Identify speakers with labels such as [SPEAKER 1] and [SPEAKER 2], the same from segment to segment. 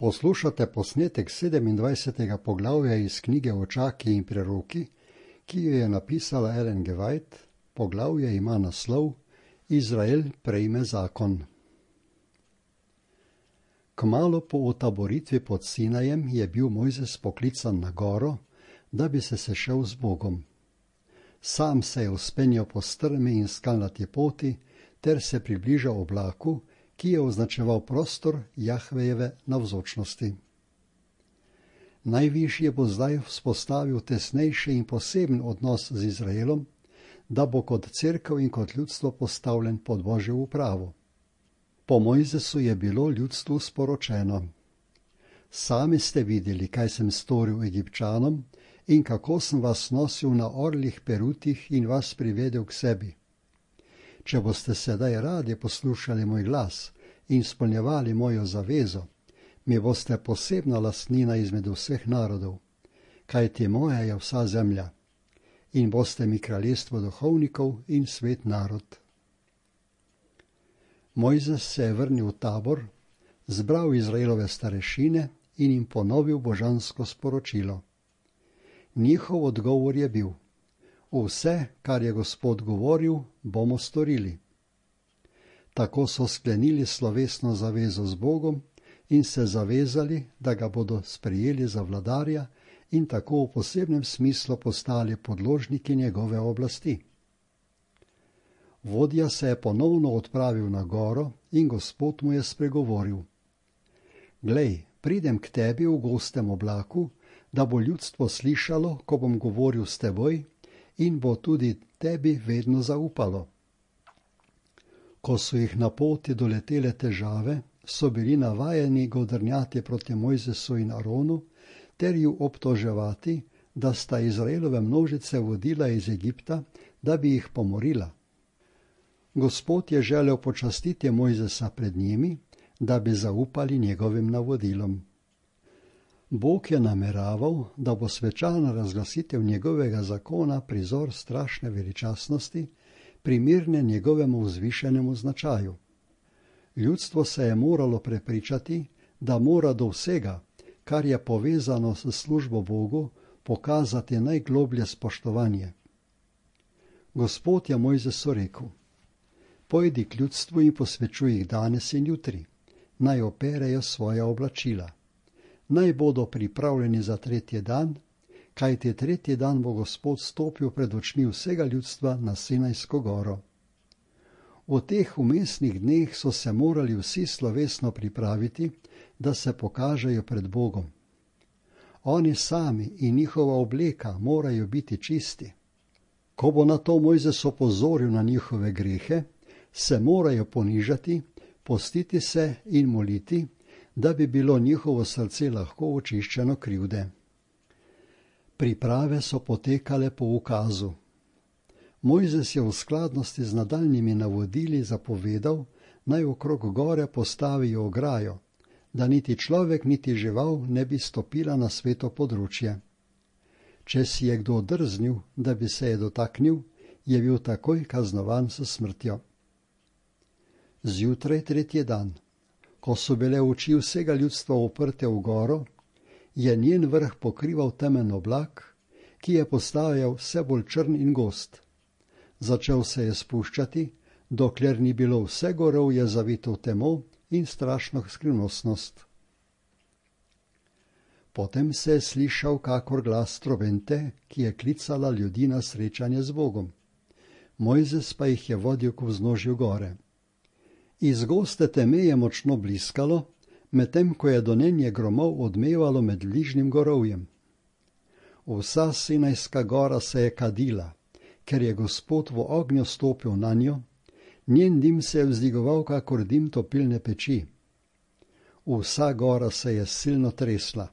[SPEAKER 1] Poslušate posnetek 27. poglavja iz knjige Očaki in preroki, ki jo je napisala Ellen G. White. Poglavje ima naslov Izrael prejme zakon. Kmalu po otaboritvi pod Sinajem je bil Mojzes poklican na goro, da bi se sešel z Bogom. Sam se je vzpenjal po strmi in skalnati poti ter se približal oblaku, ki je označeval prostor Jahvejeve navzočnosti. Najvišji bo zdaj vzpostavil tesnejši in poseben odnos z Izraelom, da bo kot cerkev in kot ljudstvo postavljen pod Božjo upravo. Po Mojzesu je bilo ljudstvu sporočeno: Sami ste videli, kaj sem storil Egipčanom in kako sem vas nosil na orlih perutih in vas privedel k sebi. Če boste sedaj radi poslušali moj glas in izpolnjevali mojo zavezo, mi boste posebna lastnina izmed vseh narodov, kajti moja je vsa zemlja, in boste mi kraljestvo duhovnikov in svet narod. Mojzes se je vrnil v tabor, zbral Izraelove starešine in jim ponovil božansko sporočilo. Njihov odgovor je bil: vse, kar je Gospod govoril, bomo storili. Tako so sklenili slovesno zavezo z Bogom in se zavezali, da ga bodo sprejeli za vladarja in tako v posebnem smislu postali podložniki njegove oblasti. Vodja se je ponovno odpravil na goro in Gospod mu je spregovoril: Glej, pridem k tebi v gostem oblaku, da bo ljudstvo slišalo, ko bom govoril s teboj, in bo tudi tebi vedno zaupalo. Ko so jih na poti doletele težave, so bili navajeni godrnjati proti Mojzesu in Aronu ter ju obtoževati, da sta Izraelove množice vodila iz Egipta, da bi jih pomorila. Gospod je želel počastiti Mojzesa pred njimi, da bi zaupali njegovim navodilom. Bog je nameraval, da bo svečana razglasitev njegovega zakona prizor strašne veličastnosti, primirne njegovemu vzvišenemu značaju. Ljudstvo se je moralo prepričati, da mora do vsega, kar je povezano s službo Bogu, pokazati najgloblje spoštovanje. Gospod je Mojzesu rekel: Pojdi k ljudstvu in posvečuj jih danes in jutri, naj operejo svoja oblačila. Naj bodo pripravljeni za tretji dan, kajti tretji dan bo Gospod stopil pred očmi vsega ljudstva na Sinajsko goro. V teh vmesnih dneh so se morali vsi slovesno pripraviti, da se pokažejo pred Bogom. Oni sami in njihova obleka morajo biti čisti. Ko bo na to Mojzes opozoril na njihove grehe, se morajo ponižati, postiti se in moliti, da bi bilo njihovo srce lahko očiščeno krivde. Priprave so potekale po ukazu. Mojzes je v skladnosti z nadaljnjimi navodili zapovedal, naj okrog gore postavijo ograjo, da niti človek niti žival ne bi stopila na sveto področje. Če si je kdo drznil, da bi se je dotaknil, je bil takoj kaznovan s smrtjo. Zjutraj tretji dan, ko so bile oči vsega ljudstva uprte v goro, je njen vrh pokrival temen oblak, ki je postajal vse bolj črn in gost. Začel se je spuščati, dokler ni bilo vse gorovje zavito v temo in strašno skrivnostnost. Potem se je slišal kakor glas trobente, ki je klicala ljudi na srečanje z Bogom. Mojzes pa jih je vodil k vznožju gore. Iz goste teme je močno bliskalo, medtem ko je donenje gromov odmevalo med bližnjim gorovjem. Vsa Sinajska gora se je kadila, ker je Gospod v ognju stopil na njo, njen dim se je vzdigoval kakor dim topilne peči. Vsa gora se je silno tresla.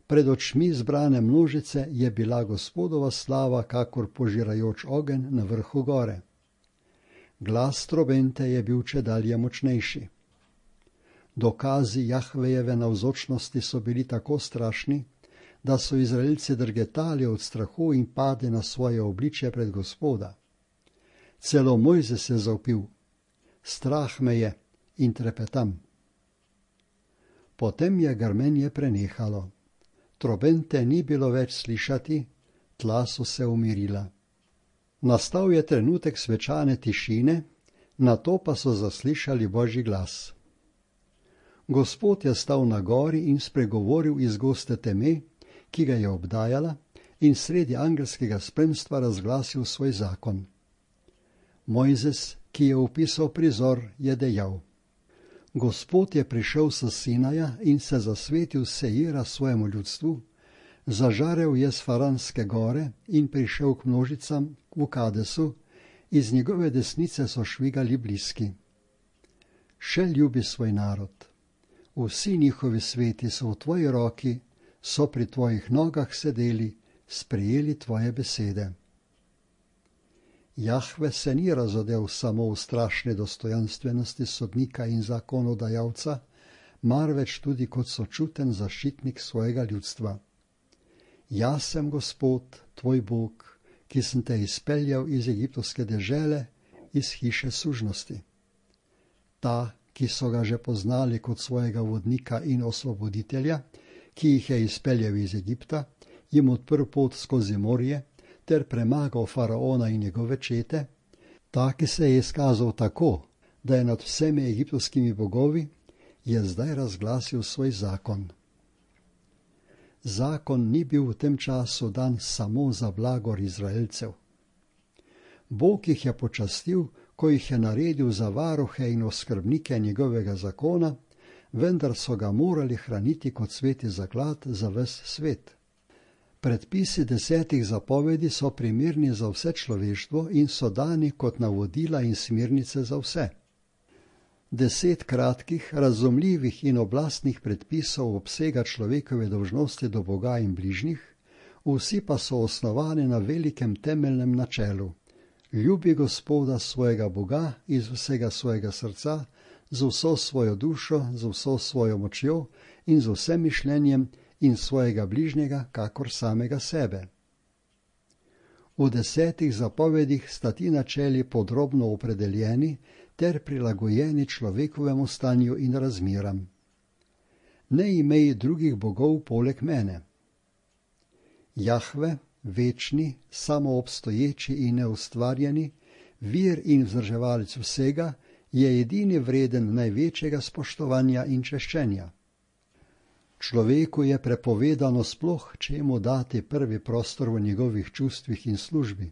[SPEAKER 1] Pred očmi zbrane množice je bila Gospodova slava kakor požirajoč ogenj na vrhu gore. Glas trobente je bil čedalje močnejši. Dokazi Jahvejeve navzočnosti so bili tako strašni, da so Izraelci drgetali od strahu in padli na svoje obličje pred Gospoda. Celo Mojzes je zavpil: Strah me je in trepetam. Potem je grmenje prenehalo. Trobente ni bilo več slišati, tla so se umirila. Nastal je trenutek svečane tišine, nato pa so zaslišali Božji glas. Gospod je stal na gori in spregovoril iz goste teme, ki ga je obdajala, in sredi angelskega spremstva razglasil svoj zakon. Mojzes, ki je opisal prizor, je dejal: Gospod je prišel s Sinaja in se zasvetil Seira svojemu ljudstvu, zažarel je s Faranske gore in prišel k množicam v Kadesu, iz njegove desnice so švigali bliski. Še ljubi svoj narod. Vsi njihovi sveti so v tvoji roki, so pri tvojih nogah sedeli, sprejeli tvoje besede. Jahve se ni razodel samo v strašne dostojanstvenosti sodnika in zakonodajalca, marveč tudi kot sočuten zaščitnik svojega ljudstva. Jaz sem Gospod, tvoj Bog, ki sem te izpeljal iz egiptovske dežele, iz hiše sužnosti. Ta, ki so ga že poznali kot svojega vodnika in osvoboditelja, ki jih je izpeljal iz Egipta, jim odprl pot skozi morje, ter premagal faraona in njegove čete, ta, ki se je izkazal tako, da je nad vsemi egiptovskimi bogovi, je zdaj razglasil svoj zakon. Zakon ni bil v tem času dan samo za blagor Izraelcev. Bog jih je počastil, ko jih je naredil za varuhe in oskrbnike njegovega zakona, vendar so ga morali hraniti kot sveti zaklad za ves svet. Predpisi 10 zapovedi so primerni za vse človeštvo in so dani kot navodila in smernice za vse. 10 kratkih, razumljivih in oblastnih predpisov obsega človekove dolžnosti do Boga in bližnjih, vsi pa so osnovani na velikem temeljnem načelu: ljubi Gospoda svojega Boga iz vsega svojega srca, z vso svojo dušo, z vso svojo močjo in z vsem mišljenjem, in svojega bližnjega kakor samega sebe. V 10 zapovedih sta ti načeli podrobno opredeljeni ter prilagojeni človekovemu stanju in razmeram. Ne imej drugih bogov poleg mene. Jahve, večni, samoobstoječi in neustvarjeni, vir in vzdrževalec vsega, je edini vreden največjega spoštovanja in češčenja. Človeku je prepovedano sploh, če mu dati prvi prostor v njegovih čustvih in službi.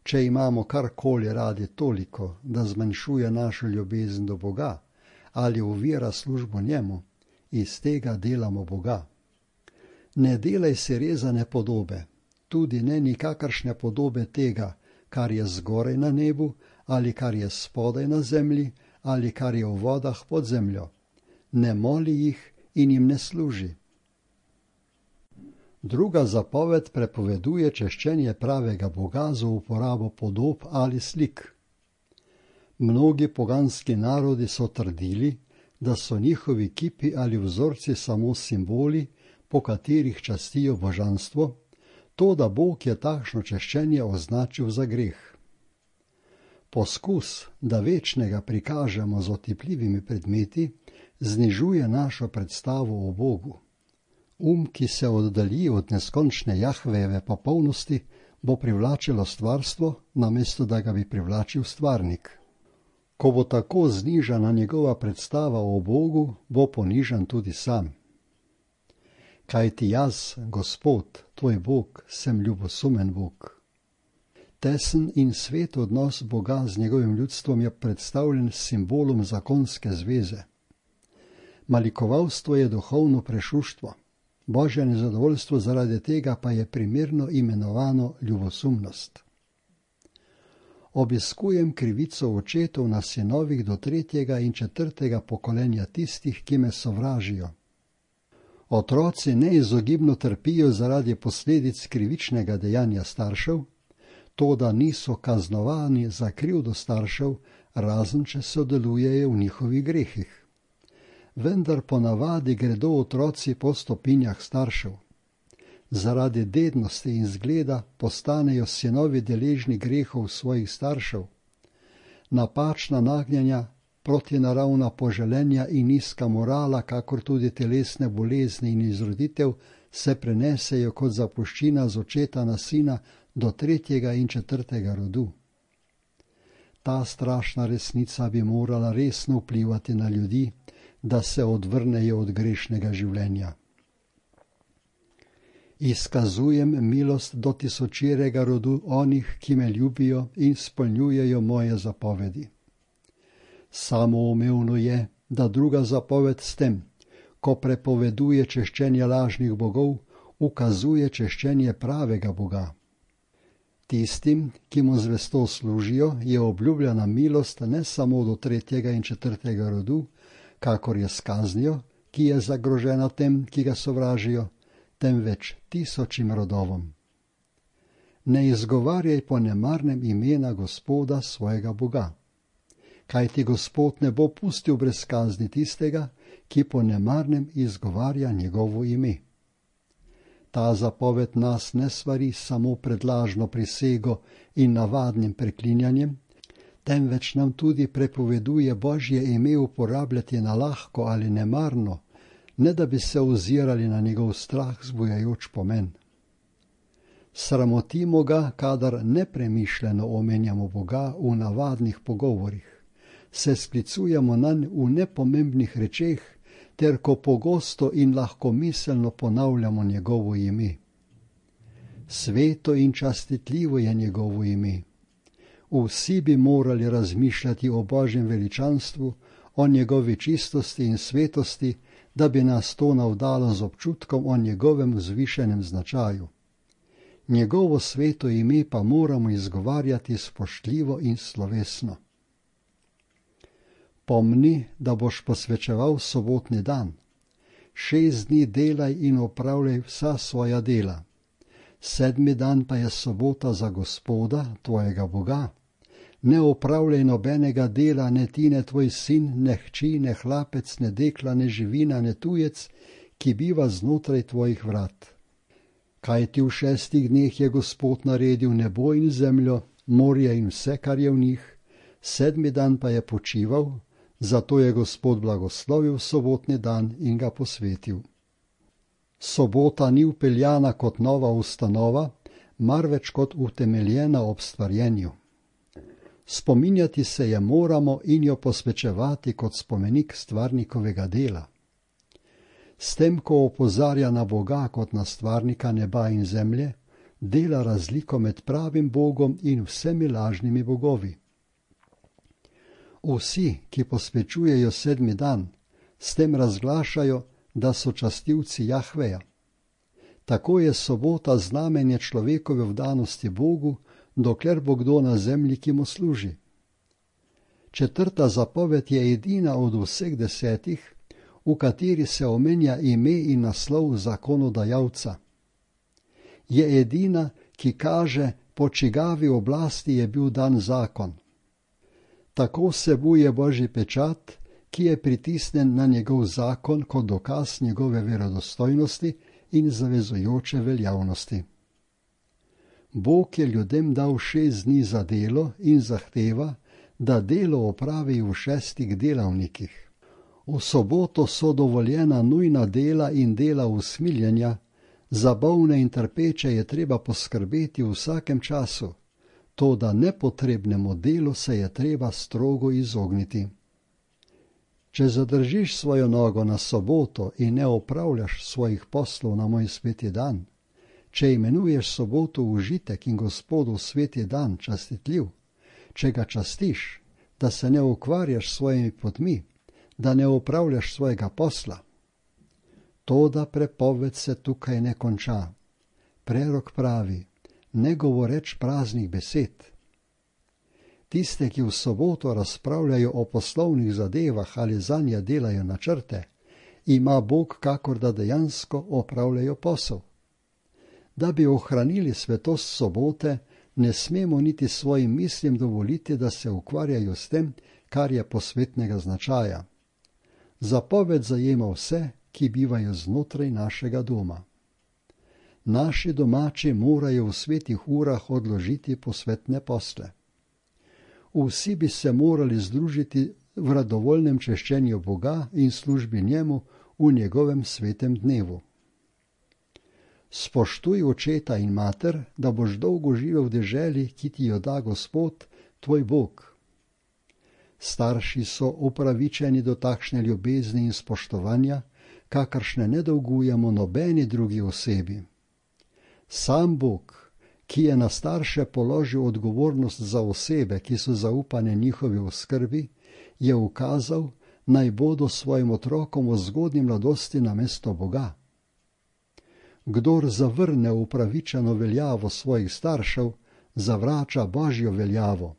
[SPEAKER 1] Če imamo karkoli radi toliko, da zmanjšuje našo ljubezen do Boga ali ovira službo njemu, iz tega delamo Boga. Ne delaj si rezane podobe, tudi ne nikakršne podobe tega, kar je zgoraj na nebu ali kar je spodaj na zemlji ali kar je v vodah pod zemljo. Ne moli jih in jim ne služi. Druga zapoved prepoveduje češčenje pravega Boga za uporabo podob ali slik. Mnogi poganski narodi so trdili, da so njihovi kipi ali vzorci samo simboli, po katerih častijo božanstvo, to, da Bog je takšno češčenje označil za greh. Poskus, da večnega prikažemo z otipljivimi predmeti, znižuje našo predstavo o Bogu. Ki se oddalji od neskončne Jahvejeve popolnosti, bo privlačilo stvarstvo, namesto da ga bi privlačil stvarnik. Ko bo tako znižana njegova predstava o Bogu, bo ponižan tudi sam. Kajti jaz, Gospod, tvoj Bog, sem ljubosumen Bog. Tesen in svet odnos Boga z njegovim ljudstvom je predstavljen s simbolom zakonske zveze. Malikovalstvo je duhovno prešuštvo, Božje nezadovoljstvo zaradi tega pa je primerno imenovano ljubosumnost. Obiskujem krivico očetov na sinovih do 3. in 4. pokolenja tistih, ki me sovražijo. Otroci neizogibno trpijo zaradi posledic krivičnega dejanja staršev, toda niso kaznovani za krivdo staršev, razen če sodelujejo v njihovih grehih. Vendar ponavadi gredo otroci po stopinjah staršev. Zaradi dednosti in zgleda postanejo sinovi deležni grehov svojih staršev. Napačna nagnjenja protinaravna poželenja in nizka morala, kakor tudi telesne bolezni in izroditev, se prenesejo kot zapuščina z očeta na sina do 3. in 4. rodu. Ta strašna resnica bi morala resno vplivati na ljudi, da se odvrnejo od grešnega življenja. Izkazujem milost do tisočerega rodu onih, ki me ljubijo in spolnjujejo moje zapovedi. Samoumevno je, da druga zapoved s tem, ko prepoveduje češčenje lažnih bogov, ukazuje češčenje pravega Boga. Tistim, ki mu zvesto služijo, je obljubljena milost ne samo do 3. in 4. rodu, kakor je s kaznijo, ki je zagrožena tem, ki ga sovražijo, temveč tisočim rodovom. Ne izgovarjaj po nemarnem imena Gospoda svojega Boga, kajti Gospod ne bo pustil brez kazni tistega, ki po nemarnem izgovarja njegovo ime. Ta zapoved nas ne svari samo pred lažno prisego in navadnim preklinjanjem, temveč nam tudi prepoveduje Božje ime uporabljati na lahko ali nemarno, ne da bi se ozirali na njegov strah zbujajoč pomen. Sramotimo ga, kadar nepremišljeno omenjamo Boga v navadnih pogovorih, se sklicujemo nanj v nepomembnih rečeh, ter ko pogosto in lahkomiselno ponavljamo njegovo ime. Sveto in častitljivo je njegovo ime. Vsi bi morali razmišljati o Božjem veličanstvu, o njegovi čistosti in svetosti, da bi nas to navdalo z občutkom o njegovem vzvišenem značaju. Njegovo sveto ime pa moramo izgovarjati spoštljivo in slovesno. Pomni, da boš posvečeval sobotni dan. 6 dni delaj in opravljaj vsa svoja dela. 7. dan pa je sobota za Gospoda, tvojega Boga. Ne opravljaj nobenega dela, ne ti, ne tvoj sin, ne hči, ne hlapec, ne dekla, ne živina, ne tujec, ki biva znotraj tvojih vrat. Kajti v 6 dneh je Gospod naredil nebo in zemljo, morje in vse, kar je v njih, 7. dan pa je počival, zato je Gospod blagoslovil sobotni dan in ga posvetil. Sobota ni vpeljana kot nova ustanova, marveč kot utemeljena ob stvarjenju. Spominjati se je moramo in jo posvečevati kot spomenik stvarnikovega dela. S tem, ko opozarja na Boga kot na stvarnika neba in zemlje, dela razliko med pravim Bogom in vsemi lažnimi bogovi. Vsi, ki posvečujejo 7. dan, s tem razglašajo, da so častilci Jahveja. Tako je sobota znamenje človekove vdanosti Bogu, dokler bo kdo na zemlji, ki mu služi. 4. zapoved je edina od vseh 10, v kateri se omenja ime in naslov zakonodajalca. Je edina, ki kaže, po čigavi oblasti je bil dan zakon. Tako vsebuje Božji pečat, ki je pritisnen na njegov zakon kot dokaz njegove verodostojnosti in zavezujoče veljavnosti. Bog je ljudem dal 6 dni za delo in zahteva, da delo opravi v 6 delavnikih. V soboto so dovoljena nujna dela in dela usmiljenja, za bolne in trpeče je treba poskrbeti v vsakem času, toda nepotrebnemu delu se je treba strogo izogniti. Če zadržiš svojo nogo na soboto in ne opravljaš svojih poslov na moj sveti dan, če imenuješ soboto užitek in Gospodov sveti dan častitljiv, če ga častiš, da se ne ukvarjaš s svojimi potmi, da ne opravljaš svojega posla. Toda prepoved se tukaj ne konča. Prerok pravi, ne govoreč praznih besed. Tiste, ki v soboto razpravljajo o poslovnih zadevah ali zanje delajo načrte, ima Bog kakor da dejansko opravljajo posel. Da bi ohranili svetost sobote, ne smemo niti svojim mislim dovoliti, da se ukvarjajo s tem, kar je posvetnega značaja. Zapoved zajema vse, ki bivajo znotraj našega doma. Naši domači morajo v svetih urah odložiti posvetne posle. Vsi bi se morali združiti v radovoljnem češčenju Boga in službi njemu v njegovem svetem dnevu. Spoštuj očeta in mater, da boš dolgo živel v deželi, ki ti jo da Gospod, tvoj Bog. Starši so upravičeni do takšne ljubezni in spoštovanja, kakršne ne dolgujemo nobeni drugi osebi. Sam Bog, ki je na starše položil odgovornost za osebe, ki so zaupane njihovi oskrbi, je ukazal, naj bodo svojim otrokom v zgodnji mladosti namesto Boga. Kdor zavrne upravičeno veljavo svojih staršev, zavrača Božjo veljavo.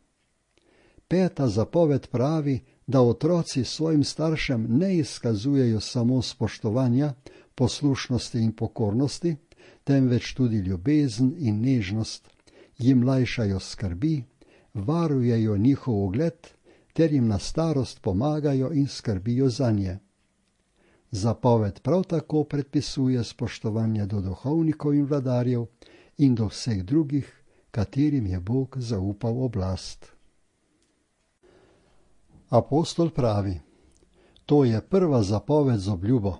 [SPEAKER 1] 5. zapoved pravi, da otroci svojim staršem ne izkazujejo samo spoštovanja, poslušnosti in pokornosti, temveč tudi ljubezen in nežnost, jim lajšajo skrbi, varujejo njihov ugled ter jim na starost pomagajo in skrbijo zanje. Zapoved prav tako predpisuje spoštovanje do duhovnikov in vladarjev in do vseh drugih, katerim je Bog zaupal oblast. Apostol pravi, to je prva zapoved z obljubo.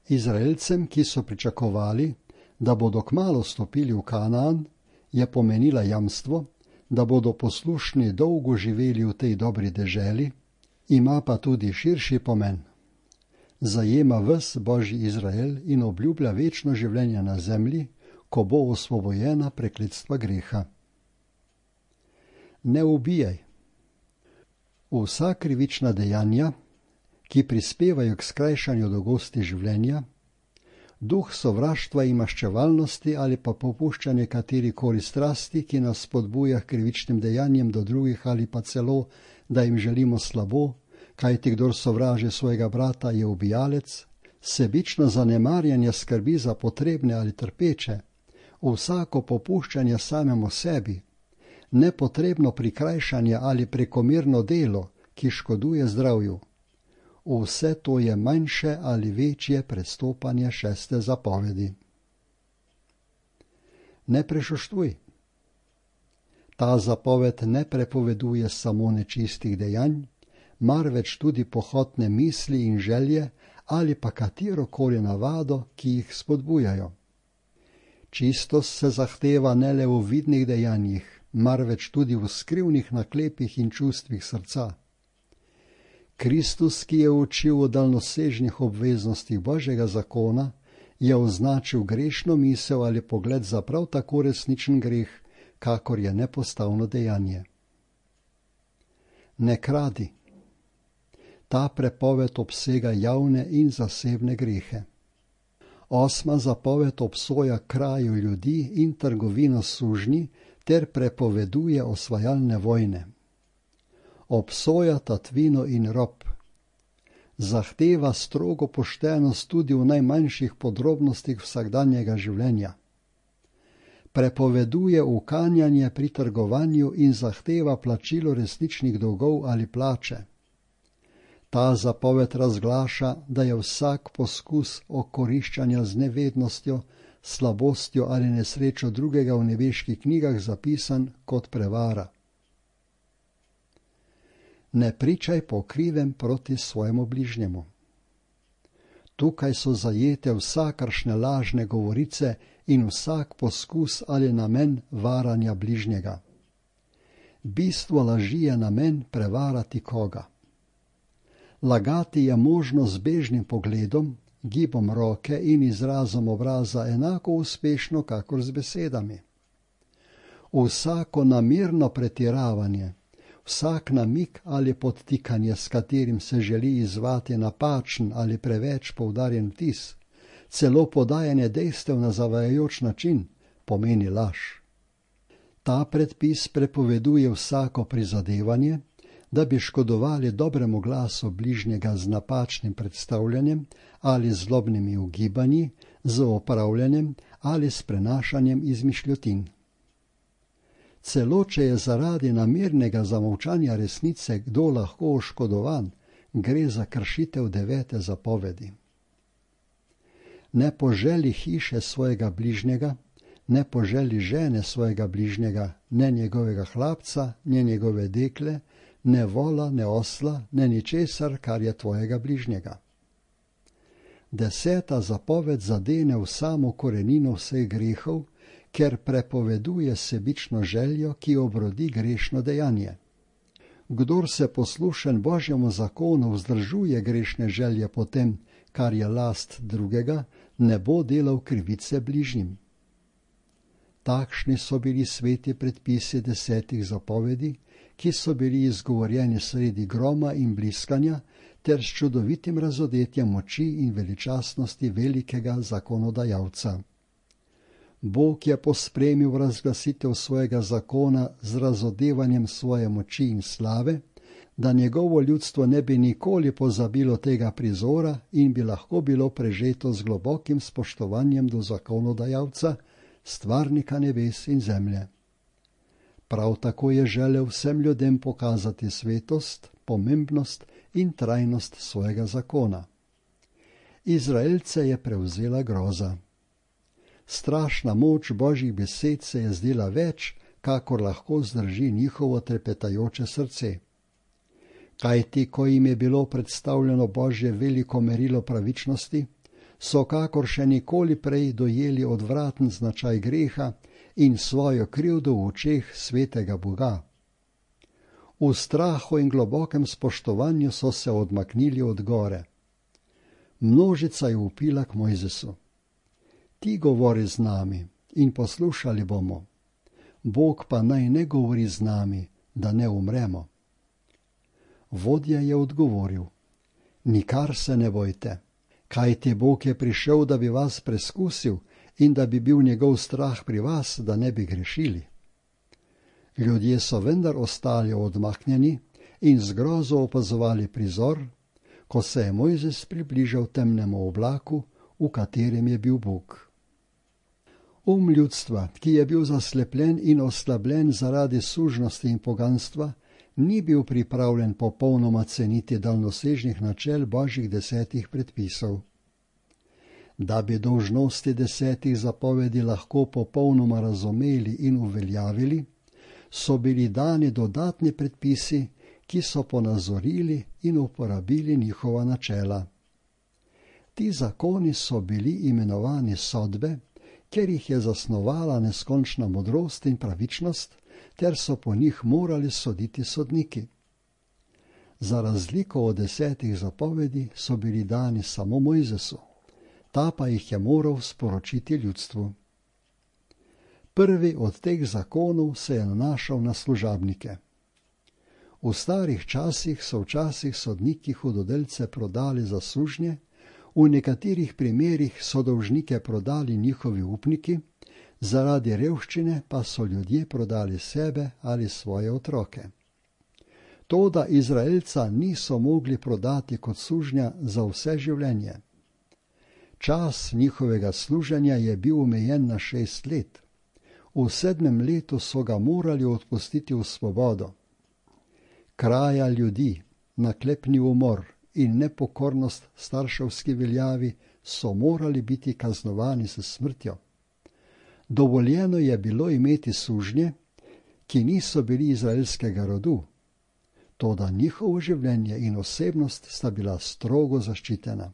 [SPEAKER 1] Izraelcem, ki so pričakovali, da bodo kmalu stopili v Kanaan, je pomenila jamstvo, da bodo poslušni dolgo živeli v tej dobri deželi, ima pa tudi širši pomen. Zajema ves Božji Izrael in obljublja večno življenje na zemlji, ko bo osvobojena prekletstva greha. Ne ubijaj. Vsa krivična dejanja, ki prispevajo k skrajšanju dolgosti življenja, duh sovraštva in maščevalnosti ali pa popuščanje katerikoli strasti, ki nas spodbuja k krivičnim dejanjem do drugih ali pa celo, da jim želimo slabo, kajti kdor sovraži svojega brata je ubijalec, sebično zanemarjanje skrbi za potrebne ali trpeče, vsako popuščanje samemu sebi, nepotrebno prikrajšanje ali prekomerno delo, ki škoduje zdravju. Vse to je manjše ali večje prestopanje 6. zapovedi. Ne prešuštvuj. Ta zapoved ne prepoveduje samo nečistih dejanj, marveč tudi pohotne misli in želje ali pa katerokoli navado, ki jih spodbujajo. Čistost se zahteva ne le v vidnih dejanjih, marveč tudi v skrivnih naklepih in čustvih srca. Kristus, ki je učil o daljnosežnih obveznostih Božjega zakona, je označil grešno misel ali pogled za prav tako resničen greh, kakor je nepostavno dejanje. Ne kradi. Ta prepoved obsega javne in zasebne grehe. 8. zapoved obsoja kraju ljudi in trgovino s sužnji ter prepoveduje osvajalne vojne. Obsoja tatvino in rob. Zahteva strogo poštenost tudi v najmanjših podrobnostih vsakdanjega življenja. Prepoveduje ukanjanje pri trgovanju in zahteva plačilo resničnih dolgov ali plače. Ta zapoved razglaša, da je vsak poskus okoriščanja z nevednostjo, slabostjo ali nesrečo drugega v nebeških knjigah zapisan kot prevara. Ne pričaj po krivem proti svojemu bližnjemu. Tukaj so zajete vsakršne lažne govorice in vsak poskus ali namen varanja bližnjega. Bistvo laži je namen prevarati koga. Lagati je možno z bežnim pogledom, gibom roke in izrazom obraza enako uspešno, kakor z besedami. Vsako namerno pretiravanje, vsak namik ali podtikanje, s katerim se želi izzvati napačen ali preveč poudarjen vtis, celo podajanje dejstev na zavajajoč način, pomeni laž. Ta predpis prepoveduje vsako prizadevanje, da bi škodovali dobremu glasu bližnjega z napačnim predstavljanjem ali zlobnimi ugibanji, z opravljanjem ali s prenašanjem izmišljotin. Celo če je zaradi namernega zamolčanja resnice kdo lahko oškodovan, gre za kršitev 9. zapovedi. Ne poželi hiše svojega bližnjega, ne poželi žene svojega bližnjega, ne njegovega hlapca, ne njegove dekle, ne vola, ne osla, ne ničesar, kar je tvojega bližnjega. 10. zapoved zadene v samo korenino vseh grehov, ker prepoveduje sebično željo, ki obrodi grešno dejanje. Kdor se poslušen Božjemu zakonu vzdržuje grešne želje po tem, kar je last drugega, ne bo delal krivice bližnjim. Takšni so bili sveti predpisi 10 zapovedi, ki so bili izgovorjeni sredi groma in bliskanja, ter s čudovitim razodetjem moči in veličastnosti velikega zakonodajalca. Bog je pospremil razglasitev svojega zakona z razodevanjem svoje moči in slave, da njegovo ljudstvo ne bi nikoli pozabilo tega prizora in bi lahko bilo prežeto z globokim spoštovanjem do zakonodajalca, stvarnika nebes in zemlje. Prav tako je želel vsem ljudem pokazati svetost, pomembnost in trajnost svojega zakona. Izraelce je prevzela groza. Strašna moč Božjih besed se je zdela več, kakor lahko zdrži njihovo trepetajoče srce. Kajti, ko jim je bilo predstavljeno Božje veliko merilo pravičnosti, so kakor še nikoli prej dojeli odvraten značaj greha in svojo krivdo v očeh svetega Boga. V strahu in globokem spoštovanju so se odmaknili od gore. Množica je vpila k Mojzesu: Ti govori z nami in poslušali bomo. Bog pa naj ne govori z nami, da ne umremo. Vodja je odgovoril: Nikar se ne bojte, kajti Bog je prišel, da bi vas preskusil in da bi bil njegov strah pri vas, da ne bi grešili. Ljudje so vendar ostali odmaknjeni in z grozo opazovali prizor, ko se je Mojzes približal temnemu oblaku, v katerem je bil Bog. Ljudstva, ki je bil zaslepljen in oslabljen zaradi sužnosti in poganstva, ni bil pripravljen popolnoma ceniti daljnosežnih načel Božjih 10 predpisov. Da bi dolžnosti 10 zapovedi lahko popolnoma razumeli in uveljavili, so bili dani dodatni predpisi, ki so ponazorili in uporabili njihova načela. Ti zakoni so bili imenovani sodbe, ker jih je zasnovala neskončna modrost in pravičnost, ter so po njih morali soditi sodniki. Za razliko od 10 zapovedi so bili dani samo Mojzesu, ta pa jih je moral sporočiti ljudstvu. Prvi od teh zakonov se je nanašal na služabnike. V starih časih so včasih sodniki hudodelce prodali za sužnje, v nekaterih primerih so dolžnike prodali njihovi upniki, zaradi revščine pa so ljudje prodali sebe ali svoje otroke. Toda Izraelca niso mogli prodati kot sužnja za vse življenje. Čas njihovega služenja je bil omejen na 6 let. V 7. letu so ga morali odpustiti v svobodo. Kraja ljudi, naklepni umor in nepokornost starševski veljavi so morali biti kaznovani s smrtjo. Dovoljeno je bilo imeti sužnje, ki niso bili izraelskega rodu, toda njihovo življenje in osebnost sta bila strogo zaščitena.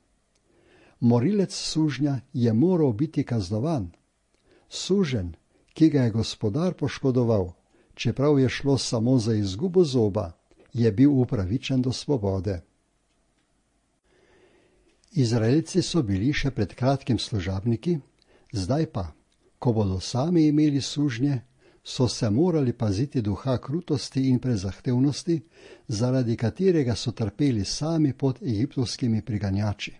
[SPEAKER 1] Morilec sužnja je moral biti kaznovan. Suženj, ki ga je gospodar poškodoval, čeprav je šlo samo za izgubo zoba, je bil upravičen do svobode. Izraelci so bili še pred kratkim služabniki, zdaj pa, ko bodo sami imeli sužnje, so se morali paziti duha krutosti in prezahtevnosti, zaradi katerega so trpeli sami pod egiptovskimi priganjači.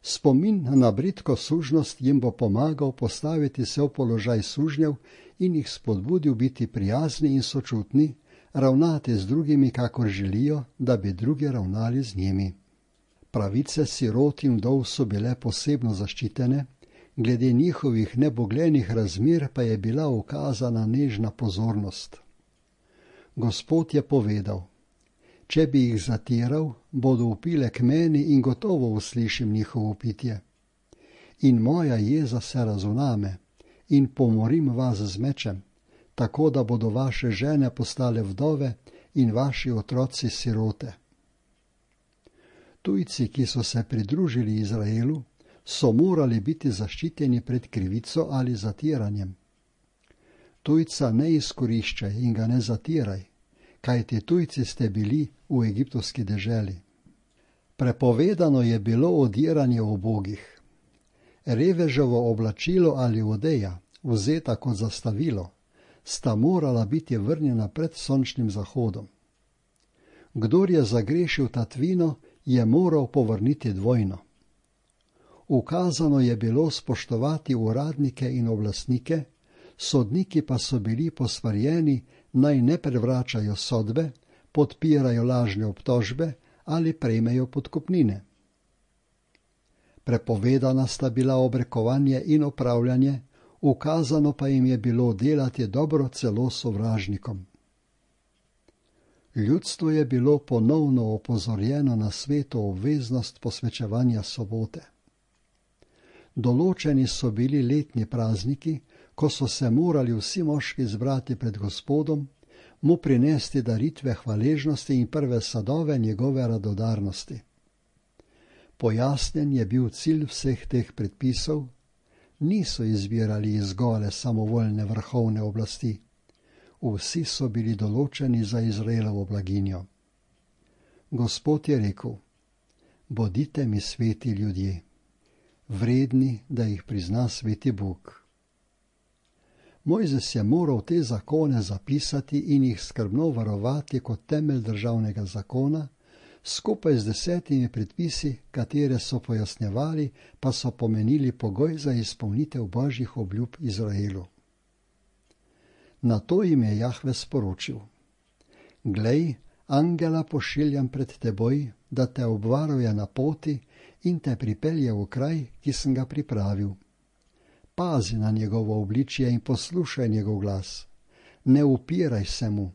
[SPEAKER 1] Spomin na bridko sužnost jim bo pomagal postaviti se v položaj sužnjev in jih spodbudil biti prijazni in sočutni, ravnati z drugimi, kakor želijo, da bi drugi ravnali z njimi. Pravice sirot in vdov so bile posebno zaščitene, glede njihovih neboglenih razmer pa je bila ukazana nežna pozornost. Gospod je povedal: Če bi jih zatiral, bodo vpile k meni in gotovo uslišim njihovo pitje. In moja jeza se razvname in pomorim vas z mečem, tako da bodo vaše žene postale vdove in vaši otroci sirote. Tujci, ki so se pridružili Izraelu, so morali biti zaščiteni pred krivico ali zatiranjem. Tujca ne izkoriščaj in ga ne zatiraj, kajti tujci ste bili v egiptovski deželi. Prepovedano je bilo odiranje ubogih. Reveževo oblačilo ali odeja, vzeta kot zastavilo, sta morala biti vrnjena pred sončnim zahodom. Kdor je zagrešil tatvino, je moral povrniti dvojno. Ukazano je bilo spoštovati uradnike in oblastnike, sodniki pa so bili posvarjeni, naj ne prevračajo sodbe, podpirajo lažne obtožbe ali prejmejo podkupnine. Prepovedana sta bila obrekovanje in opravljanje, ukazano pa jim je bilo delati dobro celo sovražnikom. Ljudstvo je bilo ponovno opozorjeno na sveto obveznost posvečevanja sobote. Določeni so bili letni prazniki, ko so se morali vsi moški zbrati pred Gospodom, mu prinesti daritve hvaležnosti in prve sadove njegove radodarnosti. Pojasnjen je bil cilj vseh teh predpisov, niso izbirali iz gole samovoljne vrhovne oblasti. Vsi so bili določeni za Izraelovo blaginjo. Gospod je rekel: bodite mi sveti ljudje, vredni, da jih prizna sveti Bog. Mojzes je moral te zakone zapisati in jih skrbno varovati kot temelj državnega zakona, skupaj z 10 predpisi, katere so pojasnjevali, pa so pomenili pogoj za izpolnitev Božjih obljub Izraelu. Nato jim je Jahve sporočil: glej, angela pošiljam pred teboj, da te obvaruje na poti in te pripelje v kraj, ki sem ga pripravil. Pazi na njegovo obličje in poslušaj njegov glas. Ne upiraj se mu,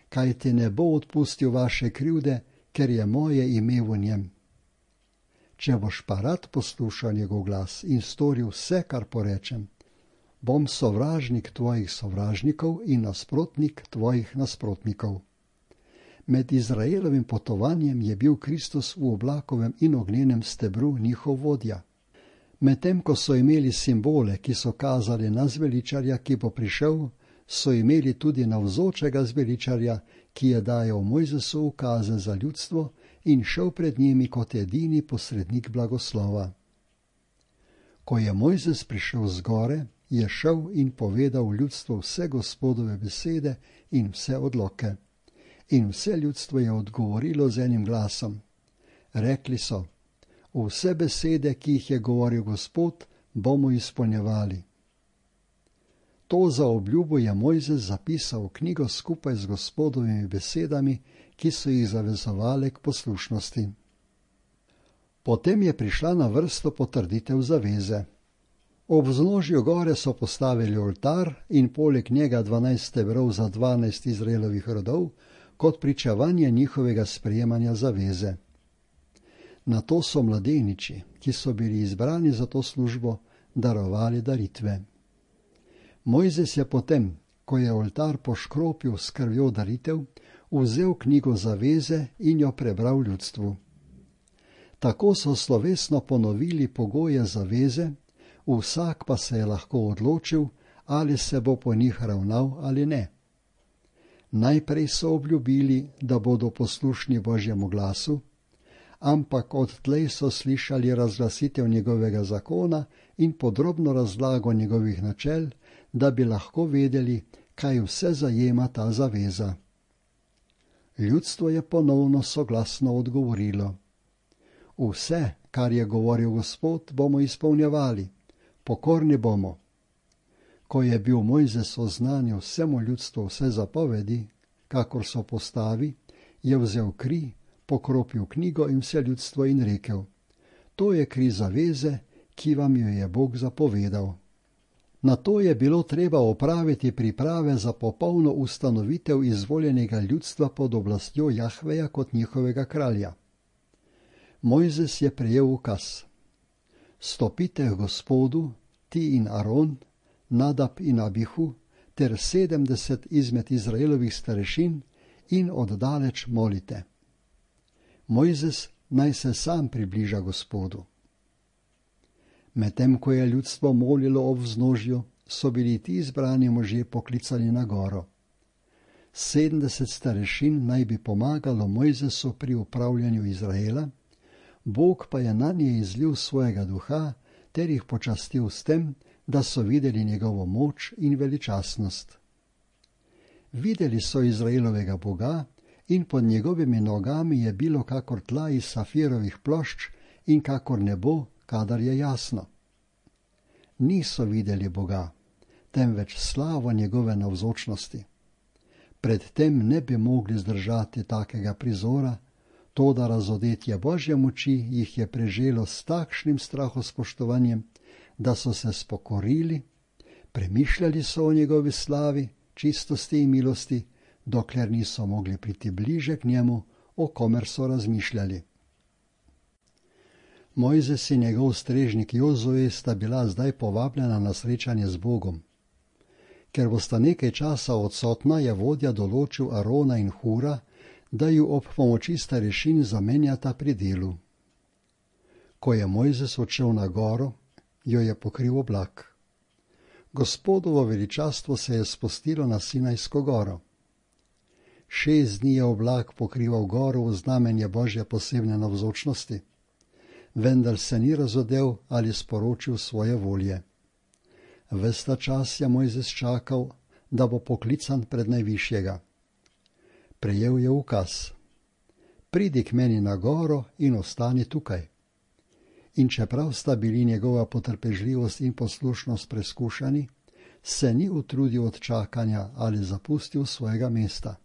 [SPEAKER 1] kaj ti ne bo odpustil vaše krivde, ker je moje ime v njem. Če boš pa rad poslušal njegov glas in storil vse, kar porečem, bom sovražnik tvojih sovražnikov in nasprotnik tvojih nasprotnikov. Med Izraelovim potovanjem je bil Kristus v oblakovem in ognjenem stebru njihov vodja. Medtem ko so imeli simbole, ki so kazali na zveličarja, ki bo prišel, so imeli tudi navzočega zveličarja, ki je dajal Mojzesu ukaze za ljudstvo in šel pred njimi kot edini posrednik blagoslova. Ko je Mojzes prišel z gore, je šel in povedal ljudstvu vse Gospodove besede in vse odloke. In vse ljudstvo je odgovorilo z enim glasom. Rekli so: vse besede, ki jih je govoril Gospod, bomo izpolnjevali. To za obljubo je Mojzes zapisal v knjigo skupaj z Gospodovimi besedami, ki so jih zavezovale k poslušnosti. Potem je prišla na vrsto potrditev zaveze. Ob vznožju gore so postavili oltar in poleg njega 12 stebrov za 12 Izraelovih rodov, kot pričevanje njihovega sprejemanja zaveze. Nato so mladeniči, ki so bili izbrani za to službo, darovali daritve. Mojzes je potem, ko je oltar poškropil s krvjo daritev, vzel knjigo zaveze in jo prebral ljudstvu. Tako so slovesno ponovili pogoje zaveze, vsak pa se je lahko odločil, ali se bo po njih ravnal ali ne. Najprej so obljubili, da bodo poslušni Božjemu glasu, ampak odtlej so slišali razglasitev njegovega zakona in podrobno razlago njegovih načel, da bi lahko vedeli, kaj vse zajema ta zaveza. Ljudstvo je ponovno soglasno odgovorilo: vse, kar je govoril Gospod, bomo izpolnjevali, pokorni bomo. Ko je bil Mojzes oznanil vsemu ljudstvu vse zapovedi, kakor so postavi, je vzel kri, pokropil knjigo in vse ljudstvo in rekel: to je kri zaveze, ki vam jo je Bog zapovedal. Nato je bilo treba opraviti priprave za popolno ustanovitev izvoljenega ljudstva pod oblastjo Jahveja kot njihovega kralja. Mojzes je prejel ukaz: stopite k Gospodu, ti in Aron, Nadab in Abihu, ter 70 izmed Izraelovih starešin in oddaleč molite. Mojzes naj se sam približa Gospodu. Medtem ko je ljudstvo molilo ob vznožju, so bili ti izbrani možje poklicani na goro. 70 starešin naj bi pomagalo Mojzesu pri upravljanju Izraela, Bog pa je nanje izlil svojega duha ter jih počastil s tem, da so videli njegovo moč in veličastnost. Videli so Izraelovega Boga in pod njegovimi nogami je bilo kakor tla iz safirovih plošč in kakor nebo, kadar je jasno. Niso videli Boga, temveč slavo njegove navzočnosti. Predtem ne bi mogli zdržati takega prizora, toda razodetje Božje moči jih je preželo s takšnim strahospoštovanjem, da so se spokorili, premišljali so o njegovi slavi, čistosti in milosti, dokler niso mogli priti bliže k njemu, o komer so razmišljali. Mojzes in njegov strežnik Jozue sta bila zdaj povabljena na srečanje z Bogom. Ker bosta nekaj časa odsotna, je vodja določil Arona in Hura, da ju ob pomoči starešin zamenjata pri delu. Ko je Mojzes odšel na goro, jo je pokril oblak. Gospodovo veličastvo se je spustilo na Sinajsko goro. 6 dni je oblak pokrival goro v znamenje Božje posebne navzočnosti, vendar se ni razodel ali sporočil svoje volje. Ves ta čas je Mojzes čakal, da bo poklican pred Najvišjega. Prejel je ukaz: pridi k meni na goro in ostani tukaj. In čeprav sta bili njegova potrpežljivost in poslušnost preskušani, se ni utrudil od čakanja ali zapustil svojega mesta.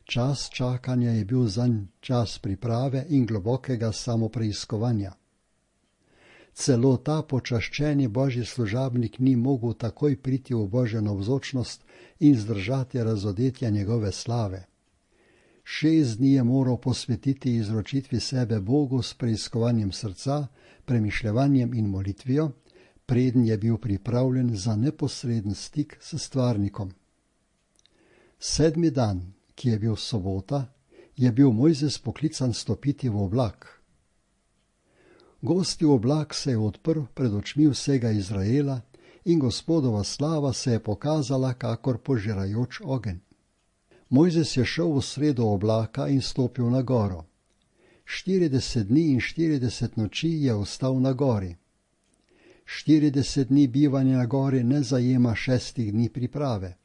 [SPEAKER 1] Čas čakanja je bil zanj čas priprave in globokega samopreiskovanja. Celo ta počaščeni Božji služabnik ni mogel takoj priti v Božjo navzočnost in zdržati razodetja njegove slave. 6 dni je moral posvetiti izročitvi sebe Bogu s preiskovanjem srca, premišljevanjem in molitvijo, preden je bil pripravljen za neposreden stik s stvarnikom. 7. dan, ki je bil sobota, je bil Mojzes poklican stopiti v oblak. Gosti oblak se je odprl pred očmi vsega Izraela in Gospodova slava se je pokazala kakor požirajoč ogenj. Mojzes je šel v sredo oblaka in stopil na goro. 40 dni in 40 noči je ostal na gori. 40 dni bivanja na gori ne zajema 6 dni priprave.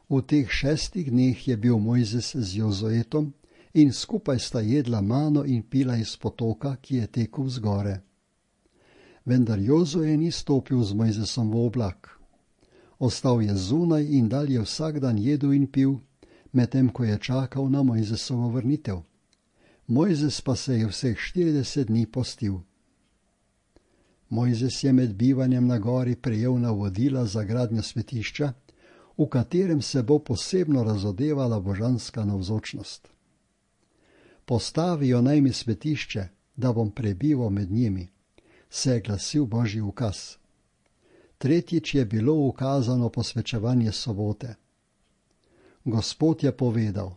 [SPEAKER 1] V teh 6 dneh je bil Mojzes z Jozuetom in skupaj sta jedla mano in pila iz potoka, ki je tekel vzgore. Vendar Jozue ni stopil z Mojzesom v oblak. Ostal je zunaj in dalje vsak dan jedel in pil, medtem ko je čakal na Mojzesovo vrnitev. Mojzes pa se je vseh 40 dni postil. Mojzes je med bivanjem na gori prejel navodila za gradnjo svetišča, v katerem se bo posebno razodevala božanska navzočnost. Postavijo naj mi svetišče, da bom prebival med njimi, se je glasil Božji ukaz. Tretjič je bilo ukazano posvečevanje sobote. Gospod je povedal: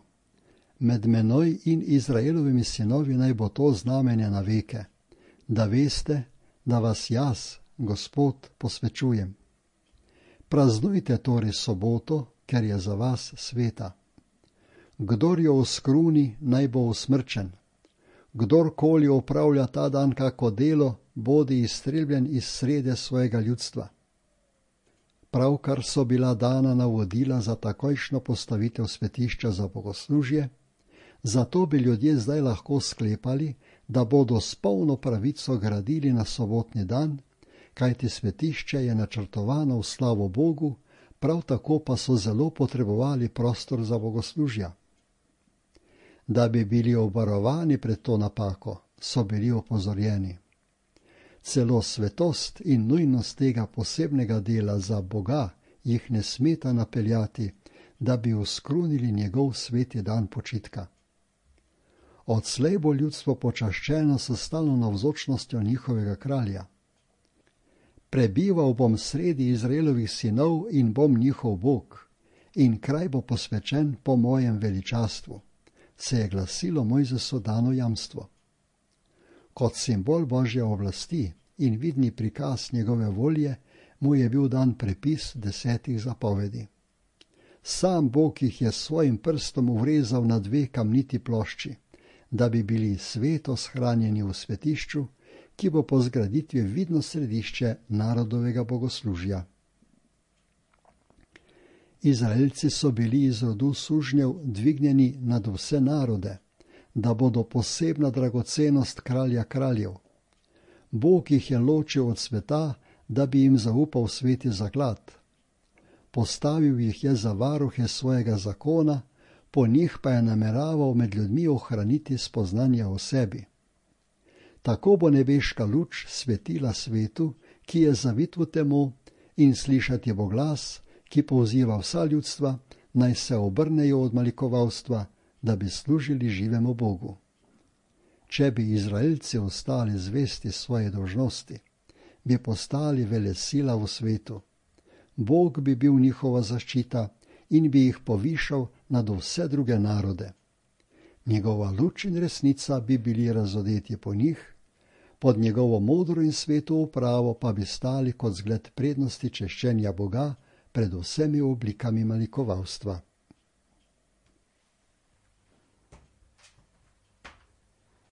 [SPEAKER 1] med menoj in Izraelovimi sinovi naj bo to znamenje na veke, da veste, da vas jaz, Gospod, posvečujem. Praznujte torej soboto, ker je za vas sveta. Kdor jo oskruni, naj bo usmrčen. Kdorkoli opravlja ta dan kako delo, bodi izstreljen iz srede svojega ljudstva. Pravkar so bila dana navodila za takojšno postavitev svetišča za bogoslužje, zato bi ljudje zdaj lahko sklepali, da bodo s polno pravico gradili na sobotni dan, kajti svetišče je načrtovano v slavo Bogu, prav tako pa so zelo potrebovali prostor za bogoslužja. Da bi bili obvarovani pred to napako, so bili opozorjeni. Celo svetost in nujnost tega posebnega dela za Boga jih ne smeta napeljati, da bi uskrunili njegov sveti dan počitka. Odslej bo ljudstvo počaščeno s stalno navzočnostjo njihovega kralja. Prebival bom sredi Izraelovih sinov in bom njihov Bog, in kraj bo posvečen po mojem veličastvu, se je glasilo Mojzesu dano jamstvo. Kot simbol Božje oblasti in vidni prikaz njegove volje mu je bil dan prepis 10 zapovedi. Sam Bog jih je s svojim prstom uvrezal na 2 kamniti plošči, da bi bili sveto shranjeni v svetišču, ki bo po zgraditvi vidno središče narodovega bogoslužja. Izraelci so bili iz rodu sužnjev dvignjeni nad vse narode, da bodo posebna dragocenost kralja kraljev. Bog jih je ločil od sveta, da bi jim zaupal sveti zaklad. Postavil jih je za varuhe svojega zakona, po njih pa je nameraval med ljudmi ohraniti spoznanje o sebi. Tako bo nebeška luč svetila svetu, ki je zavit v temu, in slišati bo glas, ki poziva vsa ljudstva, naj se obrnejo od malikovalstva, da bi služili živemu Bogu. Če bi Izraelci ostali zvesti svoje dolžnosti, bi postali velesila v svetu. Bog bi bil njihova zaščita in bi jih povišal nad vse druge narode. Njegova luč in resnica bi bili razodeti po njih, pod njegovo modro in sveto upravo pa bi stali kot zgled prednosti češčenja Boga pred vsemi oblikami malikovalstva.